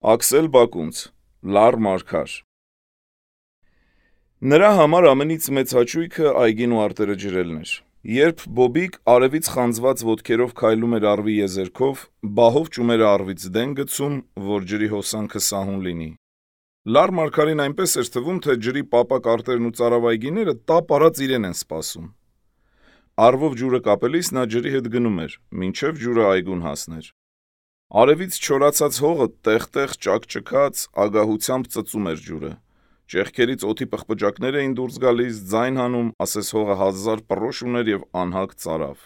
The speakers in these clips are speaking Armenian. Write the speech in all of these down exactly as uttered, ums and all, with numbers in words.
Աքսել Բակունց, լար մարգար։ Նրա համար ամենից մեծ հաճույքը այգին ու արտերը ջրելն էր։ Երբ Բոբիկ արևից խանձված ոտքերով քայլում էր առվի եզերքով, բահով ճումերը առվից դեն գցում, որ ջրի հոսանքը սահուն լինի։ Լար մարգարին այնպես էր թվում, թե ջրի պապակ արտերն ու ծարավայգիները տապ արած իրեն են սպասում։ Առվով ջուրը կապելիս նա ջրի հետ գնում էր, մինչև ջուրը այգուն հասներ։ Արևից չորացած հողը տեղ-տեղ ճաքճքած ագահությամբ ծծում էր ջուրը։ Ճեղքերից օդի պղպջակներ էին դուրս գալիս, ձայն հանում, ասես հողը հազար պռոշ ուներ եւ անհագ ծարավ։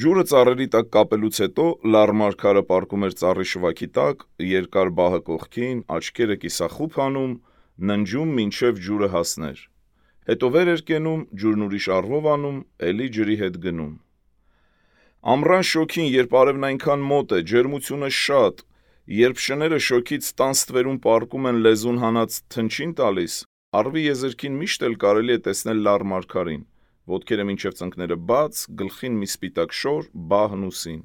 Ջուրը ծառերի տակ կապելուց հետո լար մարգարը պառկում էր ծառի շվաքի տակ, երկար բահը կողքին, աչքերը կիսախուփ անում, ննջում մինչև ջուրը հասներ։ Հետո վեր էր կենում, ջուրն ուրիշ առվով անում, էլի ջրի հետ գնում։ Ամռան շոգին, երբ արևն այնքան մոտ է, ջերմությունը շատ, երբ շները շոգից տան ստվերում պառկում են լեզուն հանած թնչին տալիս, առվի եզերքին միշտ էլ կարելի է տեսնել լար մարգարին, ոտքերը մինչև ծնկները բաց, գլխին մի սպիտակ շոր, բահն ուսին։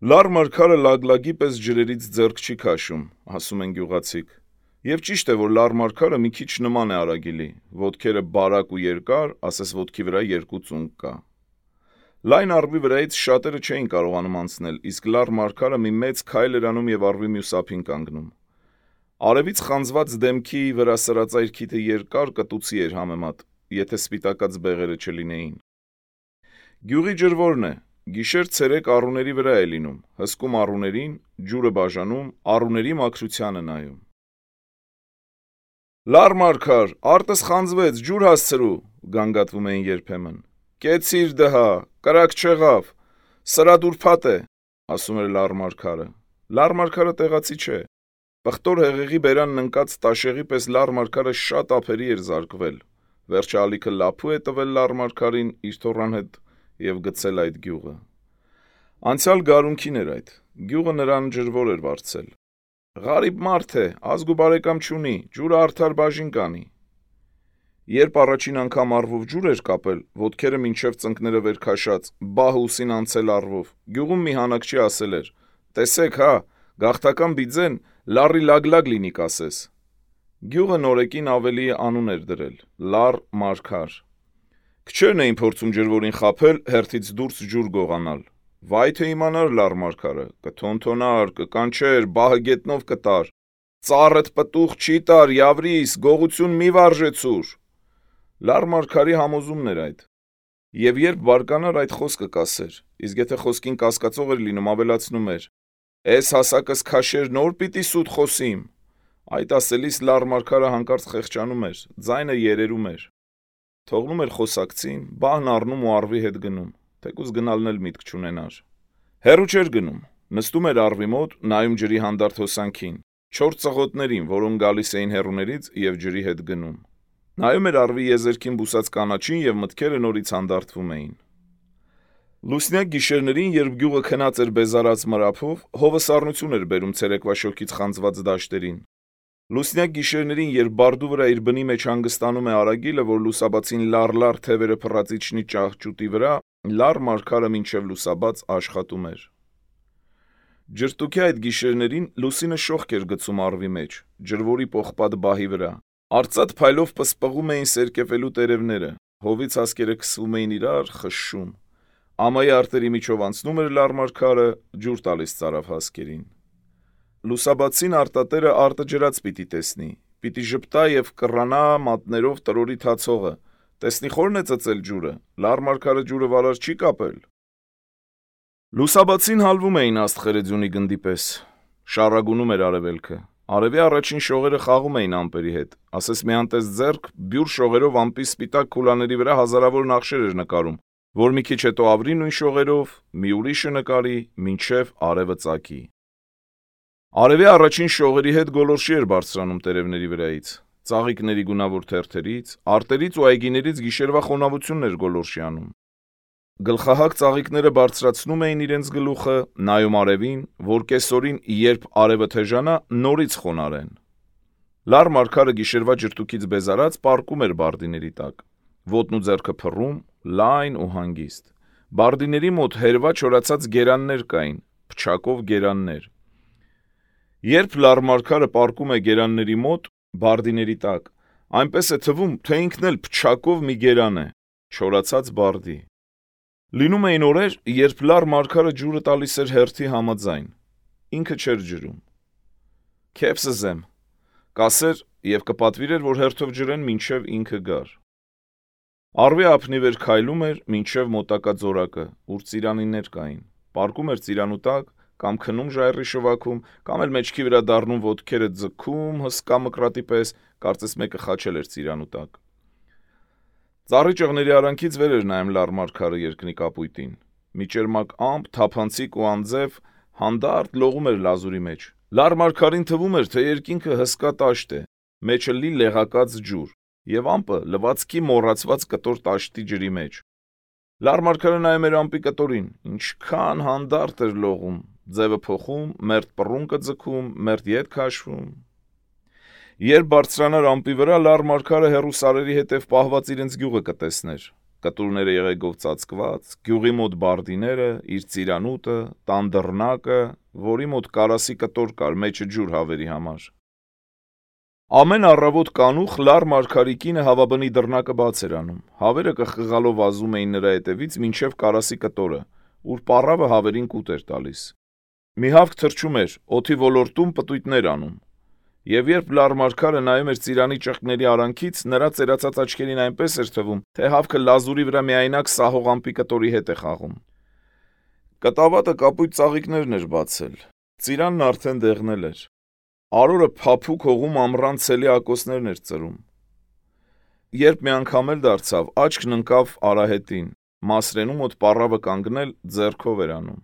Լար մարգարը լագլագի պես ջրերից ձեռք չի քաշում, ասում են գյուղացիք։ Եվ ճիշտ է, որ լար մարգարը մի քիչ նման է Արագիլի, ոտքերը բարակ ու երկար, ասես ոտքի վրա երկու ծունկ կա։ Լայն առվի վրայից շատերը չէին կարողանում անցնել, իսկ լար մարգարը մի մեծ քայլ էր անում եւ առվի մյուս ափին կանգնում։ Արևից խանձված դեմքի վրա սրածայր քիթը երկար կտուցի էր համեմատ, եթե սպիտակած բեղերը չլինեին։ Գյուղի ջրվորն է, գիշեր ցերեկ առուների վրա է լինում, հսկում առուներին, ջուրը բաժանում, առուների մաքրությանը նայում։ Լար մարգար, արտս խանձվեց, ջուր հասցրու, գանգատվում էին երբեմն։ Կեցիր դհա, կրակ չեղավ, սրա դուրփատ է, ասում էր լար մարգարը։ Լար մարգարը տեղացի չէ։ Պղտոր հեղեղի բերանն ընկած տաշեղի պես լար մարգարը շատ ափերի էր զարկվել։ Վերջը ալիքը լափու է տվել լար մարգարին իր թոռան հետ եւ գցել այդ գյուղը։ Անցյալ գարունքին էր այդ։ Գյուղը նրան ջրվոր էր վարձել։ Ղարիբ մարդ է, ազգ ու բարեկամ չունի, ջուրը արդար բաժին կանի։ Երբ առաջին անգամ առվով ջուր էր կապել, ոտքերը մինչև ծնկները վեր քաշած, բահը ուսին անցել առվով, գյուղում մի հանակչի ասել էր. «Տեսեք, հա, գաղթական բիձեն լարի լագլագ լինի կասես»։ Գյուղը նորեկին ավելի անուն էր դրել՝ լար մարգար։ Քչերն էին փորձում ջրվորին խաբել, հերթից դուրս ջուր գողանալ։ Վայ թե իմանար լար մարգարը, կթոնթոնար, կկանչեր, բահը գետնով կտար։ Ծառդ պտուղ չի տար, յավրիս, գողություն մի վարժեցուր։ Լար մարգարի համոզումն էր այդ։ Եվ երբ բարկանար այդ խոսքը կասեր, իսկ եթե խոսքին կասկածող էր լինում, ավելացնում էր. «Էս հասակս քաշեր նոր պիտի սուտ խոսիմ»։ Այդ ասելիս լար մարգարը հանկարծ խեղճանում էր, ձայնը երերում էր։ Թողնում էր խոսակցին, բահն առնում ու առվի հետ գնում, թեկուզ գնալն էլ միտք չունենար։ Հեռու չէր գնում, նստում էր առվի մոտ, նայում ջրի հանդարտ հոսանքին, չորս ծղոտներին, որոնք գալիս էին հեռուներից եւ ջրի հետ գնում։ Նայում էր առվի եզերքին բուսած կանաչին եւ մտքերը նորից հանդարտվում էին։ Լուսնյակ գիշերներին, երբ գյուղը քնած էր բեզարած մրափով, հովը սառնություն էր բերում ցերեկվա շոգից խանձված դաշտերին։ Լուսնյակ գիշերներին, երբ բարդու վրա իր բնի մեջ հանգստանում է Արագիլը, որ լուսաբացին լար-լար թևերը փռած իջնի ճահճուտի վրա, լար մարգարը մինչև լուսաբաց աշխատում էր։ Ջրտուքի այդ գիշերներին լուսինը շողք էր գցում առվի մեջ, ջրվորի պողպատ բահի վրա։ Արծաթ փայլով պսպղում էին սերկևելու տերևները, հովից հասկերը քսվում էին իրար, խշշում։ Ամայի արտերի միջով անցնում էր լար մարգարը, ջուր տալիս ծարավ հասկերին։ Լուսաբացին արտատերը արտը ջրած պիտի տեսնի, պիտի ժպտա եւ կռանա մատներով տրորի թացողը, տեսնի խորն է ծծել ջուրը, լար մարգարը ջուրը վարար չի կապել։ Լուսաբացին հալվում էին աստղերը ձյունի գնդի պես, շառագունում էր արևելքը, արևի առաջին շողերը խաղում էին ամպերի հետ, ասես մի անտես ձեռք բյուր շողերով ամպի սպիտակ քուլաների վրա հազարավոր նախշեր էր նկարում, որ մի քիչ հետո ավրի նույն շողերով, մի ուրիշը նկարի, մինչև արևը ծագի։ Արևի առաջին շողերի հետ գոլորշի էր բարձրանում տերևների վրայից, ծաղիկների գունավոր թերթերից, արտերից ու այգիներից գիշերվա խոնավությունն էր գոլորշի անում։ Գլխահակ ծաղիկները բարձրացնում էին իրենց գլուխը, նայում արևին, որ կեսօրին, երբ արևը թեժանա, նորից խոնարեն։ Լար մարգարը գիշերվա ջրտուքից բեզարած պառկում էր բարդիների տակ, ոտն ու ձեռքը փռում, լայն ու հանգիստ։ Բարդիների մոտ հերվա չորացած գերաններ կային, փչակով գերաններ։ Երբ լարմարքարը պառկում է գերանների մոտ, բարդիների տակ, այնպես է թվում, թե ինքն էլ փչակով մի գերան է, չորացած բարդի։ Լինում էին օրեր, երբ լարմարքարը ջուրը տալիս էր հերթի համաձայն, ինքը չէր ջրում։ Քեփսը զեմ, կասեր եւ կպատվիրեր, որ հերթով ջրեն մինչեւ ինքը գար։ Արվի ափնի վեր քայլում էր մինչեւ մոտակա ձորակը, ուր ծիրանիներ կային, պառկում էր ծիրանու տակ, կամ քնում ժայռի շվաքում, կամ էլ մեջքի վրա դառնում ոտքերը ձգում հսկա մկրատի պես, կարծես մեկը խաչել էր ծիրանու տակ։ Ծառի ճղների արանքից վեր էր նայում լարմարքարը երկնի կապույտին։ Մի ճերմակ ամպ, թափանցիկ ու անձև հանդարտ լողում էր լազուրի մեջ։ Լարմարքարին թվում էր, թե երկինքը հսկա տաշտ է, մեջը լի լեղակած ջուր, եւ ամպը լվացքի մոռացված կտոր տաշտի ջրի մեջ։ Լարմարքարը նայում էր ամպի կտորին, ինչքան հանդարտ էր լողում, ձևը փոխում, մերթ պռունկը ձգում, մերթ ետ քաշվում։ Երբ բարձրանար ամպի վրա, լարմարքարը հեռու սարերի հետև պահված իրենց գյուղը կտեսներ, կտուրները եղեգով ծածկված, գյուղի մոտ բարդիները, իր ծիրանուտը, տան դռնակը, որի մոտ կարասի կտոր կար, մեջը ջուր հավերի համար։ Ամեն առավոտ կանուխ լարմարքարի կինը հավաբնի դռնակը բաց էր անում, հավերը կխղալով վազում էին նրա հետևից մինչև կարասի կտորը, ուր պառավը հավերին կուտ էր տալիս։ Մի հավք թրջում էր, օդի ոլորտում պտույտներ անում, եւ երբ լարմարքարը նայում էր ծիրանի ճղկների արանքից, նրա ծերացած աչքերին այնպես էր թվում, թե հավքը լազուրի վրա միայնակ սահող ամպի կտորի հետ է խաղում։ Կտավատը կապույտ ծաղիկներն էր բացել, ծիրանն արդեն դեղնել էր, արորը փափուկ հողում ամռան ցելի ակոսներն էր ծրում։ Երբ մի անգամ էլ դարձավ, աչքն ընկավ արահետին, Մասրենու մոտ պառավը կանգնել ձեռքով էր անում։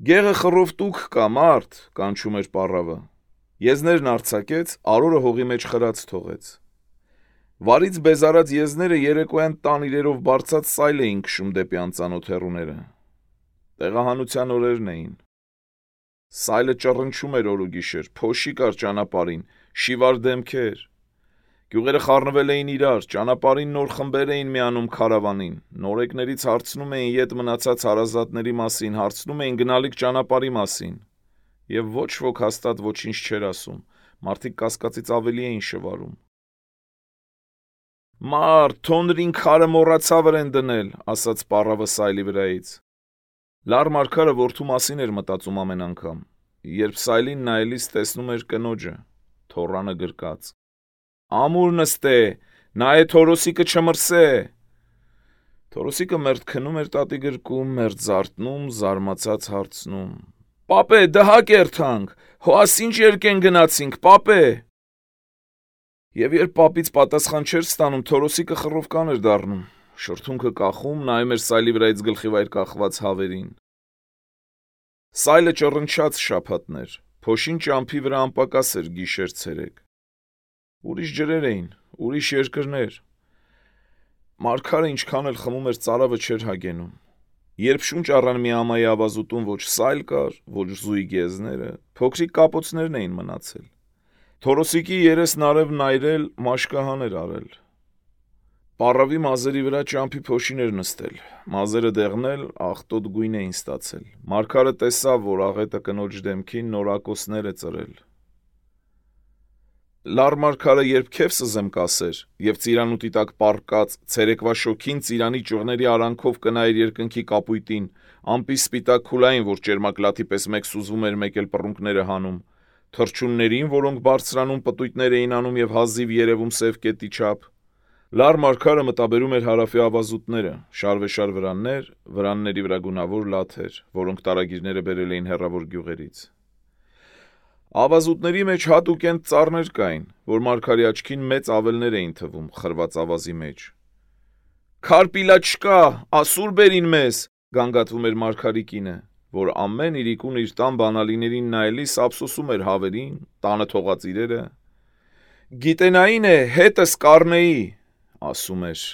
Գեղը խռով տուք կա, մարդ, կանչում էր պառավը։ Եզներն արձակեց, արորը հողի մեջ խրած թողեց։ Վարից բեզարած եզները երեկոյան տան իրերով բարձած սայլ էին քշում դեպի անծանոթ հեռուները։ Տեղահանության օրերն էին։ Սայլը ճռնչում էր օր ու գիշեր, փոշի կար ճանապարհին, շիվար դեմքեր։ Գյուղերը խառնվել էին իրար, ճանապարհին նոր խմբեր էին միանում քարավանին, նորեկներից հարցնում էին ետ մնացած հարազատների մասին, հարցնում էին գնալիք ճանապարհի մասին, եւ ոչ ոք հաստատ ոչինչ չէր ասում, մարդիկ կասկածից ավելի էին շվարում։ Մարդ, թոնրին քարը մոռացավ են դնել, ասաց պառավը սայլի վրայից։ Լարմարքարը որդու մասին էր մտածում ամեն անգամ, երբ սայլին նայելիս տեսնում էր կնոջը, թոռանը գրկած։ Ամուր նստե, նա է Թորոսիկը չմրսե։ Թորոսիկը մերթ քնում էր տատի գրկում, մերթ զարթնում, զարմացած հարցնում. Պապե, դհակ երթանք, հո ասինչ երկեն գնացինք, պապե։ Եվ երբ պապից պատասխան չէր ստանում, Թորոսիկը խռովկան էր դառնում, շրթունքը կախում, նայում էր սայլի վրայից գլխի վայր կախված հավերին։ Սայլը ճռնչաց շաբաթներ, փոշին ճամփի վրա անպակաս էր գիշեր ցերեկ։ Ուրիշ ջրեր էին, ուրիշ երկրներ։ Մարգարը ինչքան էլ խմում էր, ծարավը չէր հագենում։ Երբ շունչ առան մի ամայի ավազուտում ոչ սայլ կար, ոչ զույգ եզները, փոքրիկ կապոցներն էին մնացել։ Թորոսիկի երեսն արևն այրել, մաշկահան էր արել։ Պառավի մազերի վրա ճամփի փոշին էր նստել, մազերը դեղնել, աղտոտ գույն էին ստացել։ Մարգարը տեսավ, որ աղետը կնոջ դեմքին նոր ակոսներ է ծրել։ Լարմարքարը երբ քեֆսը զեմ կասեր, եւ ծիրանուտի տակ պառկած, ցերեկվա շոքին ծիրանի ճյուղների արանքով կնայր երկնքի կապույտին, ամպի սպիտակ քուլային, որ ճերմակ լաթի պես մեկ սուզվում էր, մեկ էլ պռունկները հանում, թրջուններին, որոնք բարձրանում պտույտներ էին անում եւ հազիվ երևում սև կետի չափ։ Լարմարքարը մտաբերում էր հարավի ավազուտները, շարվեշար վրաններ, վրանների վրա գունավոր լաթեր, որոնք տարագիրները բերել էին հեռավոր գյուղերից։ Ավազուտների մեջ հատուկենտ ծառներ կային, որ մարգարի աչքին մեծ ավելներ էին թվում խրված ավազի մեջ։ Քարպիլա չկա, ասուր բերին մեզ, գանգատվում էր մարգարի կինը, որ ամեն իրիկուն իր տան բանալիներին նայելիս ափսոսում էր հավերին, տանը թողած իրերը։ Գիտենային է, հետս կառնեի, ասում էր։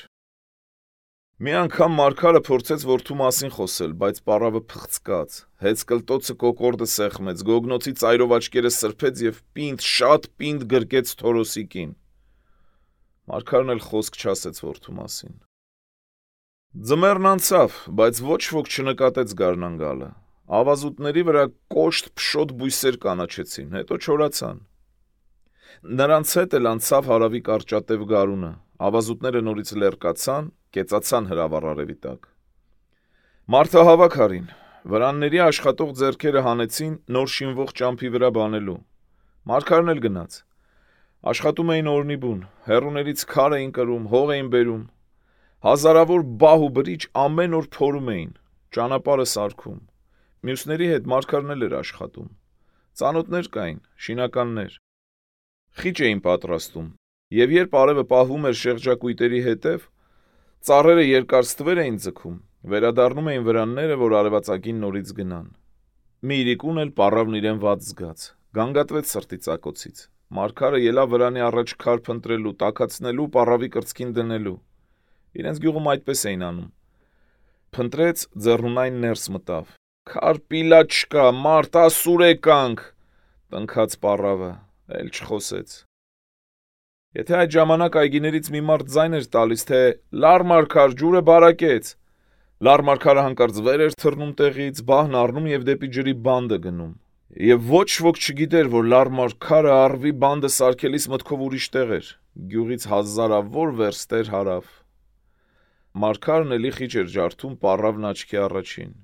Մի անգամ մարգարը փորձեց որդու մասին խոսել, բայց պառավը փղծկաց, հեծ կլտոցը կոկորդը սեղմեց, գոգնոցի ծայրով աչքերը սրբեց եւ պինդ, շատ պինդ գրկեց Թորոսիկին։ Մարգարն էլ խոսք չասեց որդու մասին։ Ձմեռն անցավ, բայց ոչ ոք չնկատեց գարնան գալը։ ավազուտների վրա կոշտ փշոտ բույսեր կանաչեցին, հետո չորացան։ Նրանց հետ էլ անցավ հարավի կարճատև գարունը, ավազուտները նորից լեռկացան, կեցացան հրավառ արևի տակ։ Մարդահավաք արին, վրանների աշխատող ձեռքերը հանեցին նոր շինվող ճամփի վրա բանելու։ Մարգարն էլ գնաց։ Աշխատում էին օրնիբուն, հեռուներից քար էին կրում, հող էին բերում։ Հազարավոր բահ ու բրիչ ամեն օր փորում էին, ճանապարհը սարքում։ Մյուսների հետ Մարգարն էլ էր աշխատում։ Ծանոթներ կային, շինականներ։ Խիճ էին պատրաստում, եւ երբ արևը պահվում էր շեղջակույտերի հետև, ծառերը երկար ստվեր էին ձգում, վերադառնում էին վրանները, որ արևածագին նորից գնան։ Մի իրիկուն էլ պառավն իրեն վատ զգաց, գանգատվեց սրտի ծակոցից։ Մարգարը ելավ վրանի առաջ քար փնտրելու, տաքացնելու, պառավի կրծքին դնելու։ Իրենց գյուղում այդպես էին անում։ Փնտրեց, ձեռնունայն ներս մտավ։ Քար պիլա չկա, մարդ ասուր եկանք, տնքաց պառավը, էլ չխոսեց։ Եթե այդ ժամանակ այգիներից մի մարդ ձայն էր տալիս, թե լար Մարգար, ջուրը բարակեց, լար Մարգարը հանկարծ վեր էր թռնում տեղից, բահն առնում եւ դեպի ջրի բանդը գնում։ Եվ ոչ ոք չգիտեր, որ լար Մարգարը առվի բանդը սարքելիս մտքով ուրիշ տեղ էր, գյուղից հազարավոր վերստեր հարավ։ Մարգարն էլի խիճ էր ջարդում պառավն աչքի առաջին։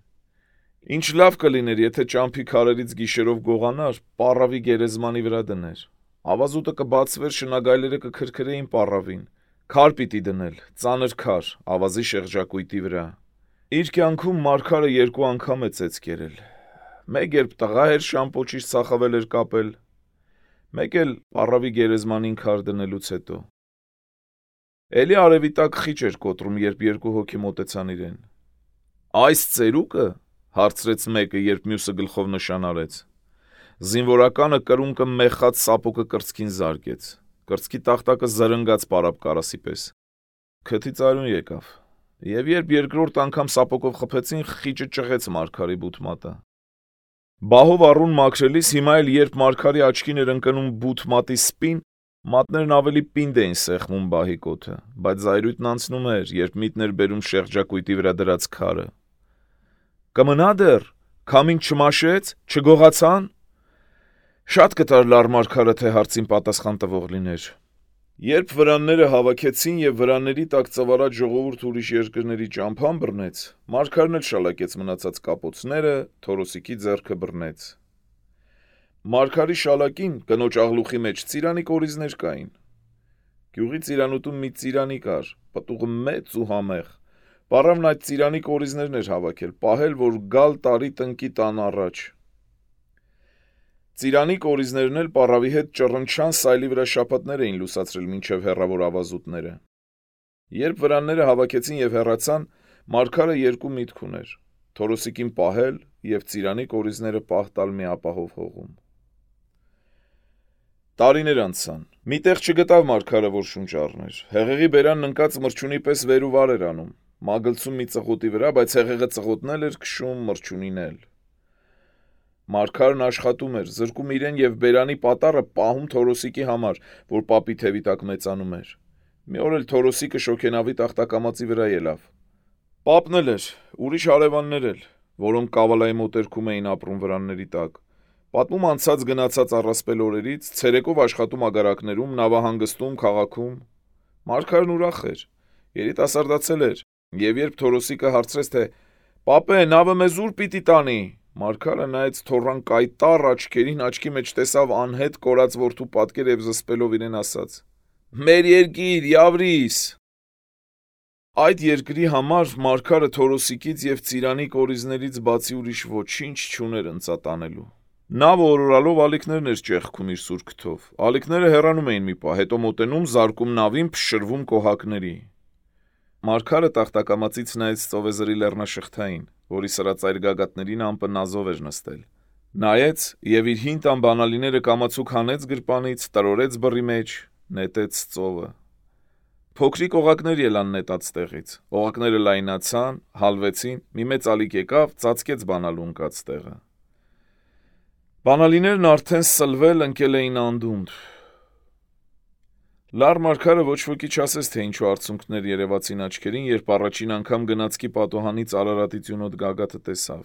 Ինչ լավ կլիներ, եթե ճամփի քարերից գիշերով գողանար, պառավի գերեզմանի վրա դներ։ Ավազուտը կբացվեր, շնագայլերը կքրքրեին պառավին։ Քար պիտի դնել, ծանր քար, ավազի շեղջակույտի վրա։ Իր կյանքում Մարգարը երկու անգամ է ծեծ կերել։ Մեկ երբ տղա էր շամպոչից ծախավել էր կապել, մեկ էլ պառավի գերեզմանին քար դնելուց հետո։ Էլի արևի տակ խիճ էր կոտրում, երբ երկու հոգի մոտեցան իրեն։ Այս ծերուկը, հարցրեց մեկը, երբ մյուսը գլխով նշան արեց։ Զինվորականը կրունկը մեխած սապոկը կրծքին զարկեց։ Կրծքի տախտակը զրնգաց պարապ կարասի պես։ Քթի ծարուն եկավ։ Եվ երբ երկրորդ անգամ սապոկով խփեցին, խիճը ճղեց Մարգարի բութմատը։ Բահով առուն մաքրելիս հիմա էլ երբ Մարգարի աչքին էր ընկնում բութմատի սպին, մատներն ավելի պինդ էին սեղմում բահի կոթը, բայց զայրույթն անցնում էր, երբ միտն էր բերում շեղջակույտի վրա դրած քարը։ Կմնա դեռ, քամին չմաշեց, չգողացան։ Շատ կտար լար Մարգարը, թե հարցին պատասխան տվող լիներ։ Երբ վրանները հավաքեցին եւ վրանների տակ ծվարած ժողովուրդ ուրիշ երկրների ճամփան բռնեց, Մարգարն էլ շալակեց մնացած կապոցները, Թորոսիկի ձեռքը բռնեց։ Մարգարի շալակին կնոջ աղլուխի մեջ ծիրանի կորիզներ կային։ Գյուղի ծիրանուտում մի ծիրանի կար, պտուղը մեծ ու համեղ։ Պառավն այդ ծիրանի կորիզներն էր հավաքել, պահել, որ գալ տարի տնկի տան առաջ։ Ծիրանի կորիզներն էլ պառավի հետ ճռնչան սայլի վրա շապատներ էին լուսացրել մինչև հեռավոր ավազուտները։ Երբ վրանները հավաքեցին եւ հեռացան, Մարգարը երկու միտք ուներ՝ Թորոսիկին պահել եւ ծիրանի կորիզները պահ տալ մի ապահով հողում։ Տարիներ անցան։ Միտեղ չգտավ Մարգարը, որ շունչ առներ։ Հեղեղի բերանն ընկած մրջունի պես վեր ու վար էր անում, մագլցում մի ծղոտի վրա, բայց հեղեղը ծղոտնել էր, քշում մրջունին էլ։ Մարգարն աշխատում էր, զրկում իրեն եւ բերանի պատառը պահում Թորոսիկի համար, որ պապի թևի տակ մեծանում էր։ Մի օր էլ Թորոսիկը շոգենավի տախտակամածի վրա ելավ։ Պապն էլ էր, ուրիշ հարևաններ էլ, որոնք կավալայի մոտերքում էին ապրում վրանների տակ։ Պատմում անցած գնացած առասպել օրերից, ցերեկով աշխատում ագարակներում, նավահանգստում, քաղաքում։ Մարգարն ուրախ էր, երիտասարդացել էր, եւ երբ Թորոսիկը հարցրեց, թե «Պապե, նավը մեզ ուր պիտի տանի», Մարգարը նայեց թոռան կայտառ աչքերին, աչքի մեջ տեսավ անհետ կորած որդու պատկեր եւ զսպելով իրեն ասաց. «Մեր երկիր, Յավրիս»։ Այդ երկրի համար Մարգարը Թորոսիկից եւ ծիրանի կորիզներից բացի ուրիշ ոչինչ չուներ ընծատանելու։ Նավը օրորալով ալիքներն էր ճեղքում իր սուր քթով։ Ալիքները հեռանում էին մի պահ, հետո մոտենում, զարկում նավին, փշրվում կոհակների։ Մարգարը տախտակամածից նայեց ծովեզրի լեռնաշղթային, որի սրածայր գագաթներին ամպը նազով էր նստել։ Նայեց եւ իր հին տան բանալիները կամացուկ հանեց գրպանից, տրորեց բռի մեջ, նետեց ծովը։ Փոքրիկ օղակներ ելան նետած տեղից։ Օղակները լայնացան, հալվեցին, մի մեծ ալիք եկավ, ծածկեց բանալու ընկած տեղը։ Բանալիներն արդեն սլվել, ընկել էին անդունդ։ Լար Մարգարը ոչ ոքի չասեց, թե ինչու արցունքներ երևացին աչքերին, երբ առաջին անգամ գնացքի պատոհանից Արարատի ծյունոտ գագաթը տեսավ։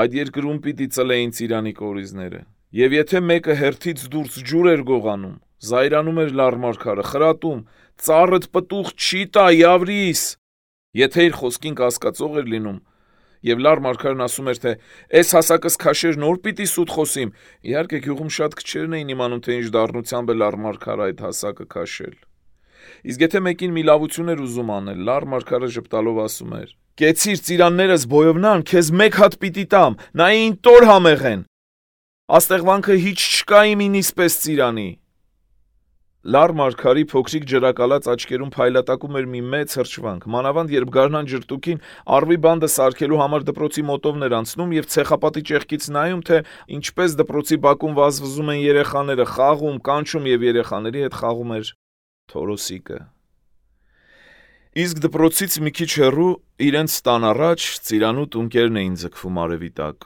այդ երկրում պիտի ծլեին ծիրանի կորիզները։ Եվ եթե մեկը հերթից դուրս ջուր էր գողանում, զայրանում էր լարմարքարը, խրատում, ծառդ պտուղ չի տա, Yavris, եթե իր խոսքին կասկածող էր լինում, եւ լարմարքարն ասում էր, թե «Էս հասակս քաշեր նոր պիտի սուտ խոսիմ», իհարկե գյուղում շատ քչերն էին իմանում, թե ինչ դառնությամբ է լարմարքարը այդ հասակը քաշել։ Իսկ եթե մեկին մի լավություն էր ուզում անել, լարմարքարը ժպտալով ասում էր. «Կեցիր ծիրաններս բոյովնան, քեզ մեկ հատ պիտի տամ, նայ ին տոր համեղեն, աստեղվանքը հիչ չկա իմ ինիս պես ծիրանի»։ Լարմարքարի փոքրիկ ջրակալած աչքերում փայլատակում էր մի մեծ հրճվանք, մանավանդ երբ գարնան ջրտուկին առվի բանդը սարքելու համար դպրոցի մոտովն էր անցնում եւ ցեխապատի ճեղքից նայում, թե ինչպես դպրոցի բակում վազվզում են երեխաները, խաղում, կանչում եւ երեխաների հետ խաղում էր Թորոսիկը։ Իսկ դպրոցից մի քիչ հեռու իրենց տան առաջ ծիրանու տունկերն էին ձգվում արևի տակ։